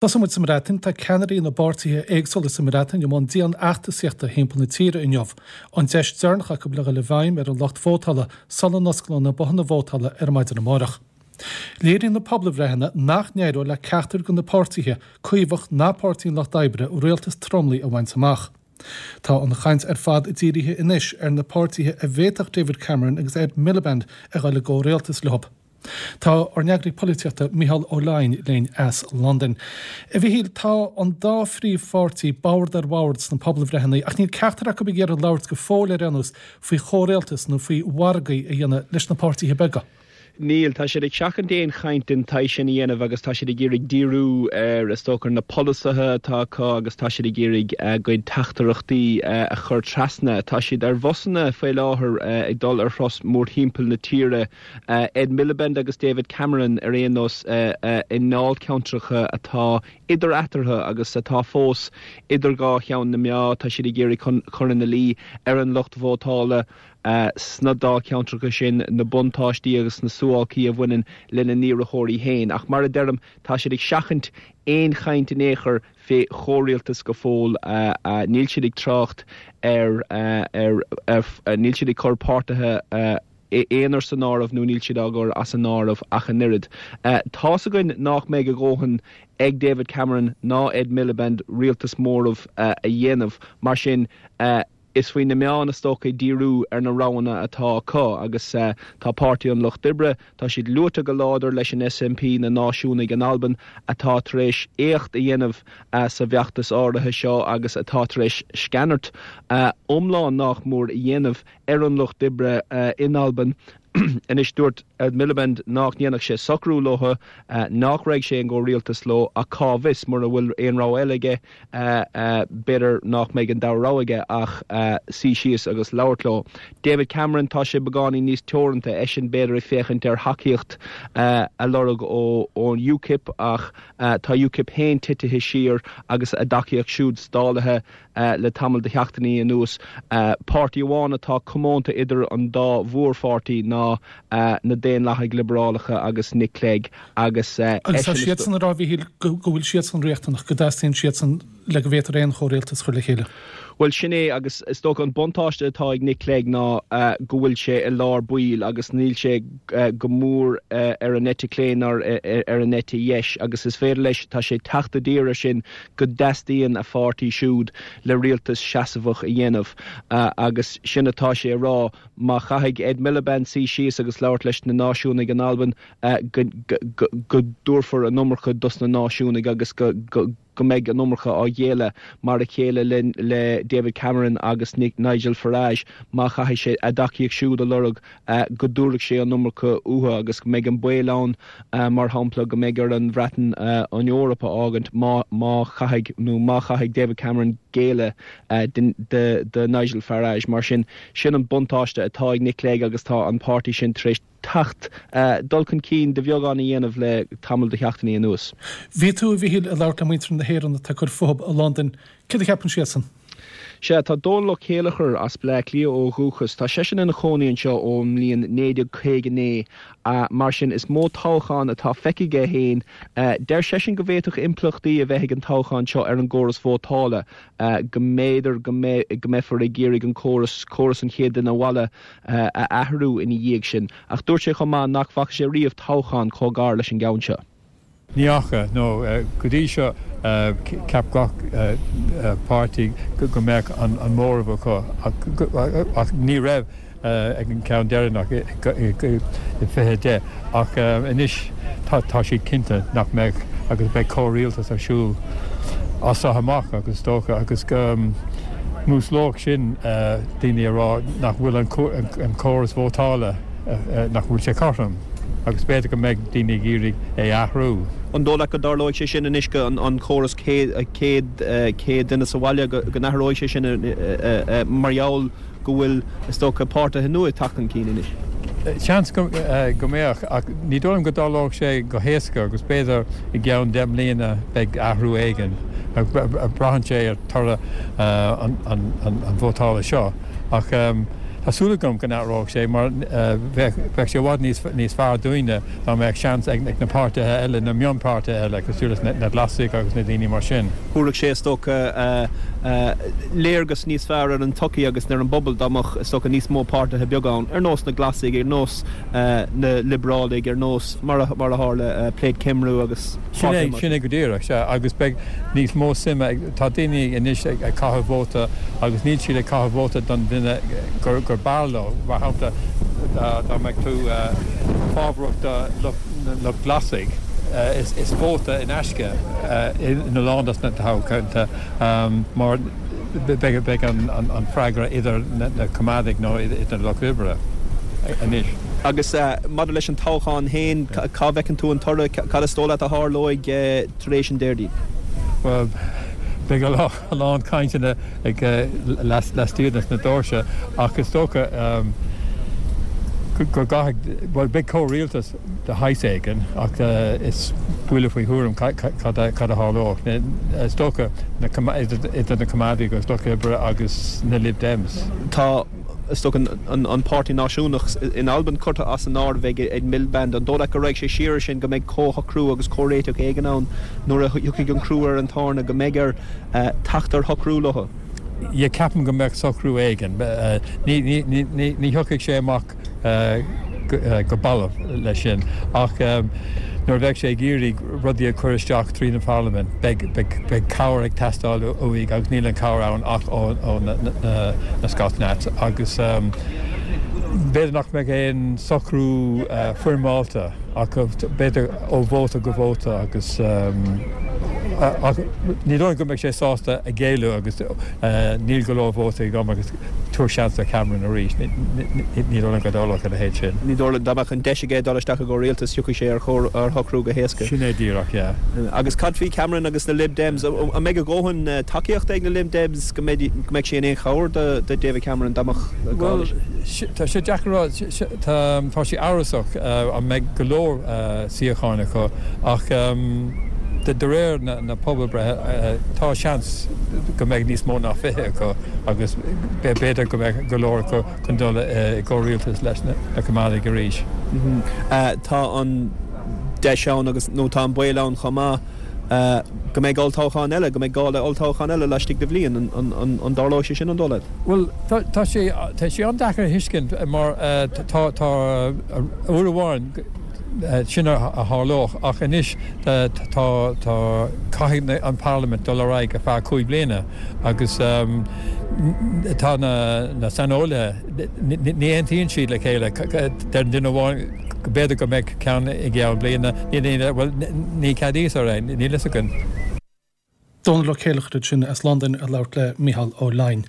Tosóidh muid sa mBreatain. Tá ceannairí na bpáirtithe éagsúla sa mBreatain i mbun dian-fheachtasaíochta thimpeall na tíre inniu. An deis deireanach acu le dhul i bhfeidhm ar an lucht vótála sula n-osclóidh na bothanna vótála ar maidin amárach. Léiríonn na pobalbhreitheanna nach n-éireoidh le ceachtar de na páirtithe, Caomhach ná Páirtí an Lucht Oibre, rialtas tromlaigh a bhaint amach. Tá an chaint ar fad dírithe anois ar na páirtithe a bhféadfadh David Cameron agus Ed Miliband a dhul i gcomhrialtas leo. Tá ár n-eagraí polaitíochta Micheál Ó Laighin linn as Londain. A Mhichíl, tá an dá phríomhpháirtí bord ar bhord sna pobalbhreitheanna ach níl ceachtar acu ag iarraidh labhairt go fóill ar aon nós faoi chomhrialtas nó faoi mhargaí a dhéanamh leis na páirtithe beaga. Níl. Tá siad ag seachaint aon chaint den tsaghas sin a dhéanamh agus tá siad ag iarraidh díriú ar, is dócha, ar na polasaithe atá acu agus tá siad ag iarraidh a gcuid teachtaireachtaí a chur trasna. Tá siad ar bhusanna faoi láthair ag dul ar thuras mórthimpeall na tíre. Ed Miliband agus David Cameron ar aon nós i ndáilcheantracha atá idir eatarthu agus atá fós idir dhá cheann na meá. Tá siad ag iarraidh cur ina luí ar an lucht vótála sna dáilcheantracha sin na buntáistí agus na suáilcí a bhaineann lena n-iarrthóirí féin. Ach mar a deirim, tá siad ag seachaint aon chaint in aon chor fé chomhrialtas go fóill. Níl siad ag trácht ar, níl siad ag cur páirtithe aonair san áireamh nó níl siad á gcur as an áireamh ach an oiread. Tá's againn nách mbeidh a dhóthain ag David Cameron ná Ed Miliband rialtas móraimh a dhéanamh, mar sin is faoi na meáin is dócha díriú ar na roghanna atá acu agus tá Páirtí an Lucht Oibre, tá siad luaite go láidir leis an SNP, na Náisiúnaigh in Albain, atá tar éis éacht a dhéanamh sa bhfeachtas áirithe seo agus atá tar éis sceanairt iomlán nách mór a dhéanamh ar an Lucht Oibre in Albain. Anois, dúirt Ed Miliband nách ndéanfadh sé socrú leo, nách raghadh sé i gcomhrialtas leo, ach cá bhfios, mura bhfuil aon rogha eile aige, b'fhéidir nách mbeidh an dara rogha aige ach suí síos agus labhairt leo. David Cameron, tá sé beagáinín níos teoranta, eisean b'fhéidir ag féachaint ar thacaíocht a lorg ón UKIP ach tá UKIP féin titithe siar agus a dtacaíocht siúd stálaithe. le tamall de sheachtainí anuas. Páirtí amháin atá comónta idir an dá mhórpháirtí ná na Daonlathaigh Liobrálacha agus Nick Clegg agus Agus tá siadsan ag rá, a Mhichíl, go bhfuil siadsan riachtanach, go dteastaíonn siadsan le go bhféadfar aon chomhrialtas a chur le chéile. Bhuel, sin é agus is dócha an buntáiste atá ag Nick Clegg ná go bhfuil sé i lár baill agus níl sé go mór ar an eite chlé ná ar an eite dheis agus is féidir leis, tá sé ag teacht i dtír air sin go dteastaíonn a pháirtí siúd le rialtas seasmhach a dhéanamh agus sin atá sé a rá, má chaithfidh Ed Miliband suí síos agus labhairt leis na náisiúnaigh in Albain go dtabharfar an iomarca dos na náisiúnaigh agus go go mbeidh an iomarca á ghéilleadh mar a chéile le David Cameron agus Nigel Farage má chaithfidh sé a dtacaíocht siúd a lorg go dtabharfaidh sé an iomarca uathu agus go mbeidh an baol ann, mar shampla, go mbeidh ar an Bhreatain an Eoraip a fhágaint má má chaithfidh nó má chaithfidh David Cameron géilleadh do Nigel Farage. Mar sin, sin an buntáiste atá ag Nick Clegg agus tá an páirtí sin tar éis teacht, dul chun cinn de bheagán a dhéanamh le tamall de sheachtainí anuas. Bhí tú, a Mhichíl, ag labhairt le muintir na hÉireann atá ag cur fúthu i Londain. Céard a cheapann siadsan? Sea, tá Dónal Ó Céileachair as Bleá Cliath ó dhúchas. Tá seisean ina chónaí anseo ón mbliain 1959, mar sin is mó toghchán atá feicthe aige féin. Deir seisean go bhféadfadh impleachtaí a bheith ag an toghchán seo ar an gcóras vótála, go mb'fhéidir go mbeifear ag iarraidh an córas, córas an chéad duine abhaile, a athrú ina dhiaidh sin. Ach dúirt sé chomh maith nach bhfaca sé riamh toghchán chomh gar leis an gceann seo. Ní fhaca, nó go dtí seo cheap gach páirtí go mbeadh an móramh acu ach ní raibh ag an gceann deireanach i 2010 ach anois tá siad cinnte nach mbeidh agus beidh comhrialtas ar siúl as seo amach agus is dócha agus go músclódh sin daoine a rá nach bhfuil an córas vótála nach bhfuil sé cothrom. agus b'fhéidir go mbeidh daoine ag iarraidh é a athrú. An dóigh leat go dtarlóidh sé sin anois go an córas céad duine sa bhaile go n-athróidh sé sin mar gheall go bhfuil is dócha páirtithe nua ag teacht chun cinn anois? Seans go mbeadh ach ní dóigh liom go dtarlódh sé go héasca agus b'fhéidir i gceann 10 mbliana beidh athrú éigin. Braitheann sé ar toradh an vótála seo ach. Tá súil agam go n-athróidh sé mar bheadh sé i bhfad níos fearr dúinne dá mbeadh seans ag na páirtithe eile, na mionpháirtithe eile, cosúil leis na Glasaigh agus na daoine mar sin. Thabharfadh sé, is dócha, léargas níos fearr ar an tsochaí agus ar an bpobal dá mbeadh, is dócha, níos mó páirtithe beaga ann, ar nós na Glasaigh, ar nós na Liobrálaigh, ar nós, mar a tharla, Plaid Cymru agus Sin é, sin é go díreach, sea, agus beidh níos mó suime ag, tá daoine anois ag caitheamh vóta agus níl siad ag caitheamh vóta don duine gur b'fhearr leo. Mar shampla, dá mbeadh tú fábharach do lucht Glasaigh, is vóta in aisce ina lán dos na toghchánta mar beidh an freagra idir na Coimeádaigh nó idir na Lucht Oibre anois. Agus maidir leis an toghchán féin, cá bhfeiceann tú an toradh? Cad is dóigh leat a tharlóidh tar éis an Déardaoin? Bhuel, beidh a lán cainteanna ag laistigh de na doirse ach is dócha go gcaithfidh, bhuel, beidh comhrialtas de shaghas éigin ach is buille faoi thuairim cad a tharlódh. Is dócha idir na Coimeádaigh agus Lucht Oibre agus na Lib Dems. Tá, is dócha, an Páirtí Náisiúnach in Albain curtha as an áireamh ag Ed Miliband. An dóigh leat go raghaidh sé siar ar sin, go mbeidh comhshocrú agus comhréiteach éigin ann nuair a thiocfaidh an crú ar an tairne, go mbeidh air teacht ar shocrú leo? Yeah, ceapaim go mbeadh socrú éigin. Ní thiocfaidh sé amach go balbh leis sin ach nuair a bheidh sé ag iarraidh rudaí a chur isteach tríd an pharlaimint beidh cabhair ag teastáil uaidh agus níl an chabhair ann ach ó na Scots Nats agus b'fhéidir nach mbeidh aon socrú foirmeálta ach b'fhéidir ó vóta go vóta agus ach ní dóigh go mbeidh sé sásta a ghéilleadh agus níl go leor vótaí agam agus tabhair seans do Cameron arís. Ní dóigh liom go dtarlódh a leithéid sin. Ní dóigh liom. Dá mbeadh an deis aige dul isteach i gcomhrialtas, thiocfadh sé ar shocrú go héasca. Sin é díreach, yeah. Agus cad faoi Cameron agus na Lib Dems? An mbeidh a dhóthain tacaíochta ag na Lib Dems go mbeadh sé in aon chabhair do David Cameron dá mbeadh gá leis? Bhuel, tá sé deacair a rá. Tá sé amhrasach an mbeidh go leor suíocháin acu ach de réir na pobalbhreithe tá seans go mbeidh níos mó ná 20 acu. agus b'fhéidir go mbeadh go leor acu chun dul i gcomhrialtas leis na Coimeádaigh arís. Tá an deis ann agus, nó tá an baol ann chomh maith, go mbeidh olltoghchán eile, go mbeidh gá le olltoghchán eile laistigh de bhliain. An dtarlóidh sé sin, an dóigh leat? Bhuel, tá sé, tá sé an-deacair a thuiscint mar tá, tá, uair amháin, sin a tharlódh ach anois tá, tá, caithfidh an Pharlaimint dul ar aghaidh ar feadh 5 bliana. Agus tá na saineolaithe, ní aontaíonn siad le chéile. Deir duine amháin go b'fhéidir go mbeidh ceann i gceann bliana, níl aon, bhuel, ní ceadaíos ar é, níl fhios againn. Dónall Ó Céileachair ansin as Londain ag labhairt le Mícheál Ó Leidhin.